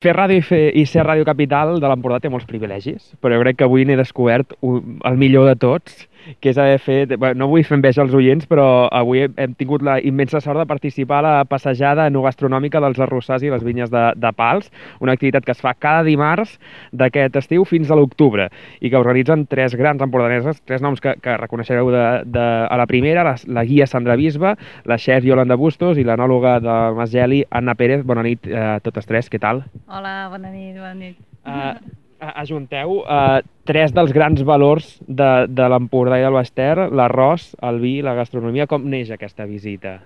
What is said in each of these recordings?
Fer ràdio i ser Ràdio Capital de l'Empordà té molts privilegis, però jo crec que avui n'he descobert el millor de tots, que és haver fet... Bé, no vull fer enveja als oients, però avui hem tingut la immensa sort de participar a la passejada enogastronòmica dels arrossars i les vinyes de Pals, una activitat que es fa cada dimarts d'aquest estiu fins a l'octubre i que organitzen tres grans empordaneses, tres noms que reconeixereu a la primera, la guia Sandra Bisba, la xef Yolanda Bustos i l'anòloga de Mas Geli, Anna Pérez. Bona nit a totes tres, què tal? Hola, bona nit, bona nit. Ajunteu tres dels grans valors de l'Empordà i del Baix-Ter, l'arròs, el vi i la gastronomia. Com neix aquesta visita?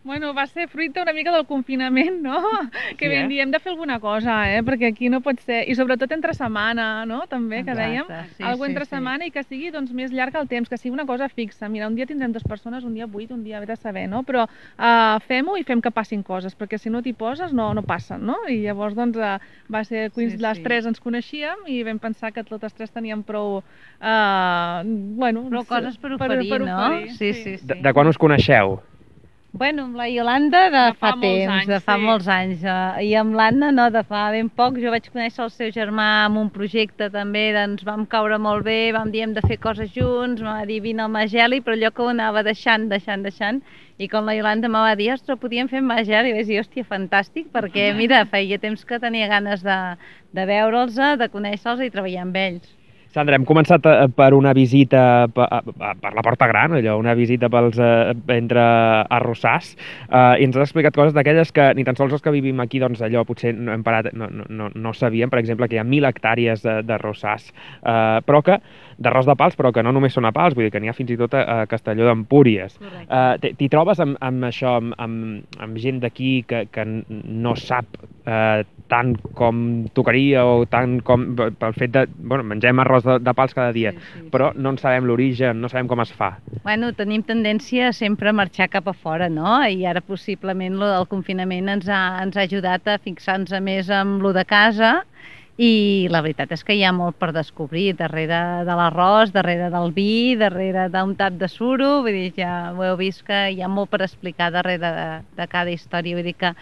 Bueno, va ser fruit una mica del confinament, no? Que Sí, vam dir, hem de fer alguna cosa, perquè aquí no pot ser... I sobretot entre setmana, no? També, que dèiem, alguna entre setmana i que sigui doncs, més llarg el temps, que sigui una cosa fixa. Mira, un dia tindrem 2 persones, un dia 8, un dia de saber, no? Però fem-ho i fem que passin coses, perquè si no t'hi poses no passen, no? I llavors doncs va ser... Les tres ens coneixíem i vam pensar que totes tres teníem prou... Prou coses per oferir, no? Sí. De quan us coneixeu? Bueno, amb la Yolanda de fa temps, de fa molts anys, i amb l'Anna no, de fa ben poc. Jo vaig conèixer el seu germà amb un projecte també, ens vam caure molt bé, vam dir hem de fer coses junts, em va dir vine al Mageli, però allò que ho anava deixant, i com la Yolanda em va dir, ostres, podíem fer Mageli, i vaig dir, hòstia, fantàstic, perquè mira, feia temps que tenia ganes de veure'ls, de conèixer-los i treballar amb ells. Sandra, hem començat per una visita per la Porta Gran, allò, una visita entre arrossars, i ens has explicat coses d'aquelles que ni tan sols els que vivim aquí, doncs allò potser no hem parat, no sabíem, per exemple, que hi ha 1.000 hectàrees d'arrossars, d'arròs de Pals, però que no només són a Pals, vull dir que n'hi ha fins i tot a Castelló d'Empúries. T'hi trobes amb això, amb gent d'aquí que no sap tant com tocaria o tant com pel fet de... Bueno, mengem arròs de Pals cada dia, però no en sabem l'origen, no sabem com es fa. Bueno, tenim tendència sempre a marxar cap a fora, no? I ara possiblement el confinament ens ha ajudat a fixar-nos més en lo de casa, i la veritat és que hi ha molt per descobrir darrere de l'arròs, darrere del vi, darrere d'un tap de suro, vull dir, ja ho heu vist que hi ha molt per explicar darrere de cada història, vull dir que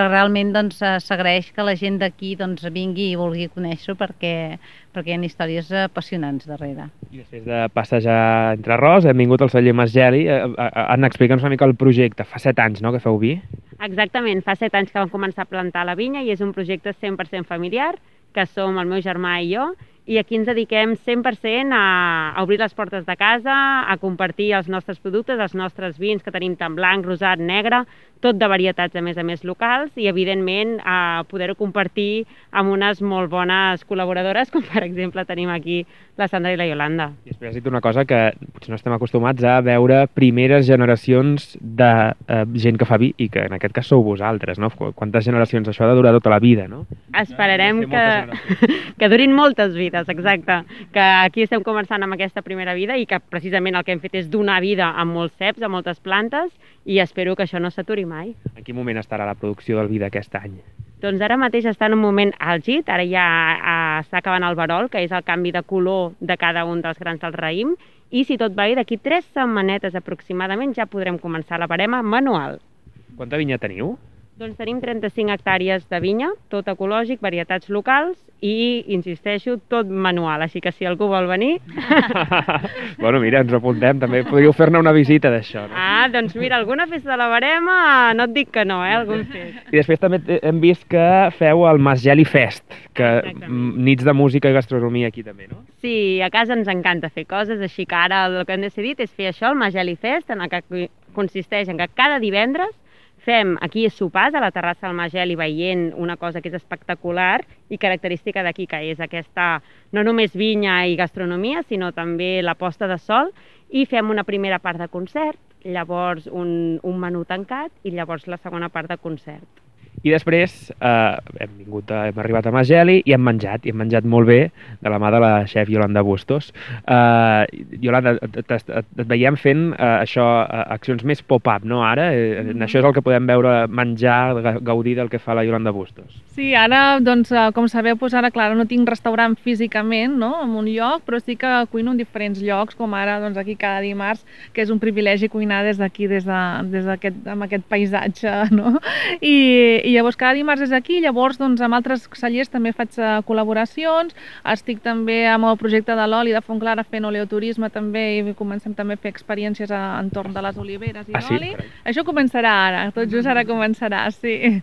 realment s'agraeix que la gent d'aquí vingui i vulgui conèixer-ho perquè hi ha històries apassionants darrere. I després de passejar entre arròs hem vingut al celler Mas Geli. Anna, explica'ns una mica el projecte. Fa 7 anys, no?, que feu vi? Exactament, fa 7 anys que vam començar a plantar la vinya i és un projecte 100% familiar, que som el meu germà i jo, i aquí ens dediquem 100% a obrir les portes de casa, a compartir els nostres productes, els nostres vins que tenim tant blanc, rosat, negre, tot de varietats a més locals i evidentment a poder-ho compartir amb unes molt bones col·laboradores, com per exemple tenim aquí la Sandra i la Yolanda. I després has dit una cosa que potser no estem acostumats a veure primeres generacions de gent que fa vi i que en aquest cas sou vosaltres, no? Quantes generacions? Això ha de durar tota la vida, no? Esperarem que durin moltes vides, exacte. Que aquí estem començant amb aquesta primera vida i que precisament el que hem fet és donar vida a molts ceps, a moltes plantes, i espero que això no s'aturi mai. En quin moment estarà la producció del vi d'aquest any? Doncs ara mateix està en un moment àlgid, ara ja està acabant el verol, que és el canvi de color de cada un dels grans del raïm, i si tot va bé, d'aquí 3 setmanetes aproximadament ja podrem començar la barema manual. Quanta vinya teniu? Doncs tenim 35 hectàrees de vinya, tot ecològic, varietats locals i, insisteixo, tot manual, així que si algú vol venir... Bueno, mira, ens apuntem, també podríeu fer-ne una visita d'això, no? Doncs mira, alguna festa de la barema, no et dic que no, algun fet. I després també hem vist que feu el Mas Geli Fest, que nits de música i gastronomia aquí també, no? Sí, a casa ens encanta fer coses, així que ara el que hem decidit és fer això, el Mas Geli Fest, en el que consisteix en que cada divendres fem aquí sopars a la terrassa del Mas Geli veient una cosa que és espectacular i característica d'aquí, que és aquesta, no només vinya i gastronomia, sinó també la posta de sol, i fem una primera part de concert, llavors un menú tancat i llavors la segona part de concert. I després hem arribat a Mas Geli i hem menjat molt bé de la mà de la xef Yolanda Bustos. Yolanda, et veiem fent això, accions més pop-up, no, ara? Això és el que podem veure, menjar, gaudir del que fa la Yolanda Bustos. Sí, ara, doncs, com sabeu, ara, clar, no tinc restaurant físicament, no?, en un lloc, però sí que cuino en diferents llocs, com ara, doncs, aquí cada dimarts, que és un privilegi cuinar des d'aquí, amb aquest paisatge, no? I I llavors cada dimarts és aquí, llavors doncs, amb altres cellers també faig col·laboracions, estic també amb el projecte de l'oli de Fontclara fent oleoturisme també i comencem també a fer experiències entorn de les oliveres i l'oli. Això començarà ara, tot just ara començarà, sí.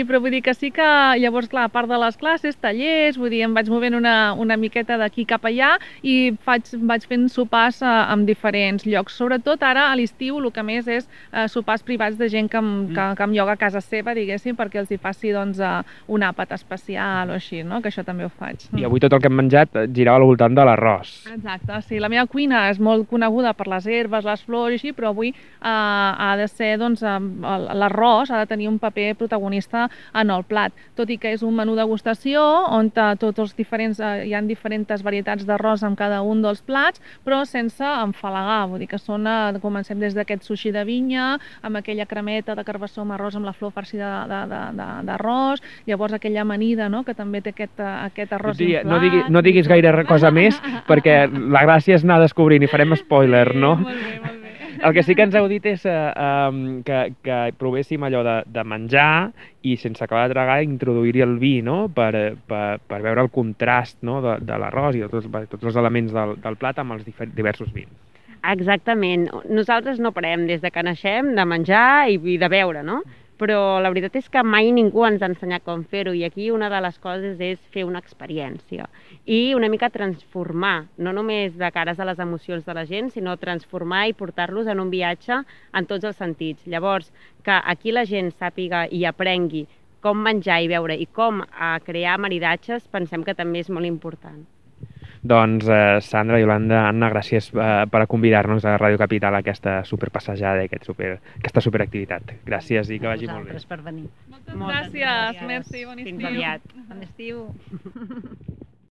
Però vull dir que sí que llavors, clar, a part de les classes, tallers, vull dir, em vaig movent una miqueta d'aquí cap allà i vaig fent sopars en diferents llocs. Sobretot ara a l'estiu el que més és sopars privats de gent que em lloga a casa seva, diguéssim, perquè els hi faci doncs, un àpat especial o així, no? Que això també ho faig. I avui tot el que hem menjat girava al voltant de l'arròs. Exacte, sí. La meva cuina és molt coneguda per les herbes, les flors i així, però avui ha de ser, doncs, l'arròs ha de tenir un paper protagonista en el plat. Tot i que és un menú degustació on tots els diferents, hi ha diferents varietats d'arròs en cada un dels plats, però sense enfalagar. Vull dir que comencem des d'aquest sushi de vinya, amb aquella cremeta de carbassó amb arròs amb la flor farcida d'arròs, llavors aquella amanida, no?, que també té aquest arròs inflat. No diguis gaire cosa més, perquè la gràcia és anar descobrint i farem spoiler, no? Molt bé. El que sí que ens heu dit és que provéssim allò de menjar i sense acabar de tragar introduir-hi el vi, no?, per veure el contrast, no?, de l'arròs i de tots els elements del plat amb els diversos vins. Exactament. Nosaltres no parem des de que naixem de menjar i de beure, no? Però la veritat és que mai ningú ens ha ensenyat com fer-ho i aquí una de les coses és fer una experiència i una mica transformar, no només de cares a les emocions de la gent, sinó transformar i portar-los en un viatge en tots els sentits. Llavors, que aquí la gent sàpiga i aprengui com menjar i beure i com crear maridatges, pensem que també és molt important. Doncs Sandra, Iolanda, Anna, gràcies per convidar-nos a Ràdio Capital a aquesta superpassejada i aquesta superactivitat. Gràcies i que vagi molt bé. Per venir. Moltes gràcies. Merci, bon estiu. Fins aviat. Bon estiu.